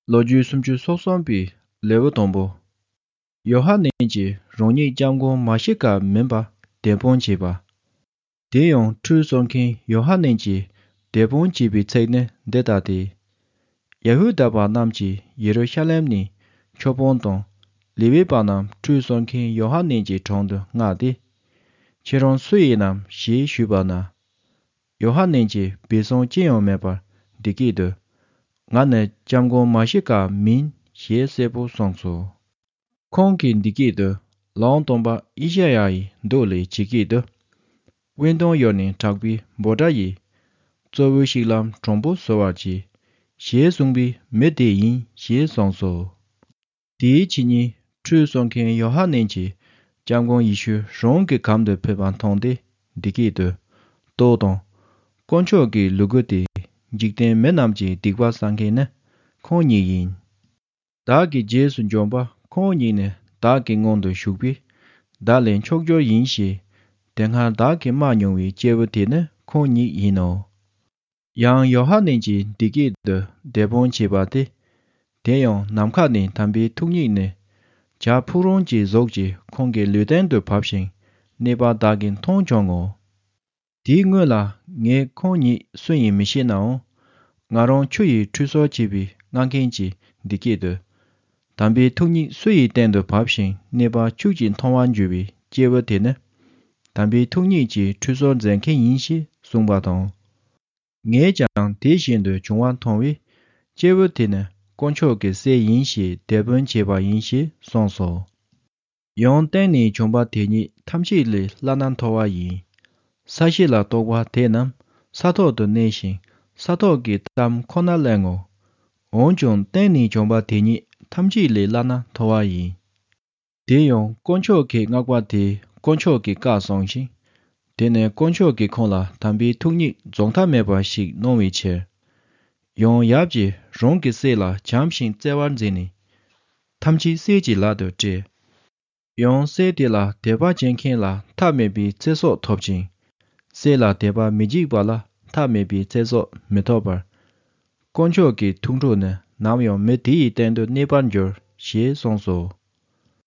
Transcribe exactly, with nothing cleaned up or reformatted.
ལོ་རྒྱུས་སུམ་ཅུ་སོ་གསུམ་པའི་ལེའུ་དང་པོ། ཡོ་ཧ་ནན་གྱིས་རང་ཉིད་སྐྱབས་མགོན་མ་ཤི་ཀ་མིན་པར་དད་པ་བྱས་པ། དེ་ཡང་ཁྲུས་གསོལ་མཁན་ཡོ་ཧ་ནན་གྱིས་དད་པ་བྱས་པའི་ཚིག་ནི་འདི་ལྟ་སྟེ། ཡ་ཧུ་དཱ་པ་རྣམས་ཀྱིས་ཡེ་རུ་ཤ་ལེམ་ནས་མཆོད་དཔོན་དང་ལེ་ཝི་པ་རྣམས་ཁྲུས་གསོལ་མཁན་ཡོ་ཧ་ནན་གྱི་དྲུང་དུ་མངགས་ཏེ། ཁྱེད་རང་སུ་ཡིན་ནམ་ཞེས་ཞུས་པ་ན། ཡོ་ཧ་ནན་གྱིས་སྦས་གསང་ཅི་ཡང་མེད་པར་འདི་སྐད་དུ། ང་ནི་སྐྱབས་མགོན་མ་ཤི་ཀ་མིན་ཞེས་གསལ་པོ་གསུངས་སོ། ཁོང་གིས་འདི་སྐད་དུ། ལམ་སྟོན་པ་ཨི་ཤ་ཡ་ཡི་མདོ་ལས་ཇི་སྐད་དུ། སྤུན་ཐང་ཡོར་ནི་དྲག་པོའི་འབོད་སྒྲ་ཡིས། གཙོ་བོའི་གཤིག་ལམ་དྲང་པོ་བཟོ་བར་གྱིས། ཞེས་གསུངས་པའི་མི་དེ་ཡིན་ཞེས་གསུངས་སོ། དེའི་ཕྱི་ཉིན་ཁྲུས་གསོལ་མཁན་ཡོ་ཧ་ནན་གྱིས་སྐྱབས་མགོན་ཡེ་ཤུ་རང་གི་གམ་དུ་ཕེབས་པ་མཐོང་སྟེ་འདི་སྐད་དུ། ལྟོས་དང་། དཀོན་མཆོག་གི་ལུ་གུ་སྟེ། འཇིག་རྟེན་མི་རྣམས་ཀྱི་སྡིག་པ་བསལ་མཁན་ནི་ཁོང་ཉིད་ཡིན། བདག་གི་རྗེས་སུ་འཇོམས་པ་ཁོང་ཉིད་ནི་བདག་གི་སྔོན་དུ་བཞུགས་པས། བདག་ལས་མཆོག་གྱུར་ཡིན་ཞེས། དེ་སྔར་བདག་གིས་མ་མྱོང་བའི་སྐྱེས་བུ་དེ་ནི་ཁོང་ཉིད་ཡིན་ནོ། ཡང་ཡོ་ཧ་ནན་གྱིས་འདི་སྐད་དུ་དེད་དཔོན་བྱས་པ་སྟེ། དེ་ཡང་ནམ་མཁའ་ནས་དམ་པའི་ཐུགས་ཉིད་ནི། བྱ་ཕུག་རོན་གྱི་གཟུགས་ཀྱིས་ཁོང་གི་ལུས་སྟེང་དུ་བབས་ཤིང་གནས་པ་བདག་གིས་མཐོང་བྱུང་ངོ་། དེའི་སྔོན་ལ་ངས་ཁོང་ཉིད་སུ་ཡིན་མི་ཤེས་ནའང་། ང་རང་ཆུ་ཡིས་ཁྲུས་གསོལ་བྱེད་པའི་མངགས་མཁན་གྱིས་འདི་སྐད་དུ། དམ་པའི་ཐུགས་ཉིད་སུ་ཡི་སྟེང་དུ་བབས་ཤིང་གནས་པ་ཁྱོད་ཀྱིས་མཐོང་བར་འགྱུར་བའི་སྐྱེས་བུ་དེ་ནི། དམ་པའི་ཐུགས་ཉིད་ཀྱིས་ཁྲུས་གསོལ་མཛད་མཁན་ཡིན་ཞེས་གསུངས་པ་དང་། ངས་ཀྱང་དེ་བཞིན་དུ་བྱུང་བ་མཐོང་བས། སྐྱེས་བུ་དེ་ནི་དཀོན་མཆོག་གི་སྲས་ཡིན་ཞེས་དེད་དཔོན་བྱས་པ་ཡིན་ཞེས་གསུངས་སོ། ཡང་སྟེང་ནས་བྱུང་བ་དེ་ཉིད་ཐམས་ཅད་ལས་བླ་ན་མཐོ་བ་ཡིན། ས་གཞི་ལ་གཏོགས་པ་དེ་རྣམས་ས་ཐོག་ཏུ་གནས་ཤིང་ས་ཐོག་གི་གཏམ་ཁོ་ན་གླེང་ངོ་། འོན་ཀྱང་སྟེང་ནས་བྱུང་བ་དེ་ཉིད་ཐམས་ཅད་ལས་བླ་ན་མཐོ་བ་ཡིན། དེ་ཡང་དཀོན་མཆོག་གི་བསྔགས་པ་དེས་དཀོན་མཆོག་གི་བཀའ་གསུངས་ཤིང་། དེ་ནས་དཀོན་མཆོག་གིས་ཁོང་ལ་དམ་པའི་ཐུགས་ཉིད་རྫོགས་མཐའ་མེད་པ་ཞིག་གནང་བའི་ཕྱིར། ཡང་ཡབ་ཀྱིས་རང་གི་སྲས་ལ་བྱམས་ཤིང་བརྩེ་བར་མཛད་ནས། ཐམས་ཅད་སྲས་ཀྱི་ལག་ཏུ་སྤྲད། ཡང་སྲས་དེ་ལ་དད་པ་བྱེད་མཁན་ལ་མཐའ་མེད་པའི་ཚེ་སྲོག་ཐོབ་ཅིང་། སྲས་ལ་དད་པ་མི་བྱེད་པ་ལ་མཐའ་མེད་པའི་ཚེ་སྲོག་མི་ཐོབ་པར། དཀོན་མཆོག་གི་ཐུགས་ཁྲོ་ནི་ནམ་ཡང་མི་དེ་ཡི་སྟེང་དུ་གནས་པར་འགྱུར་ཞེས་གསུངས་སོ།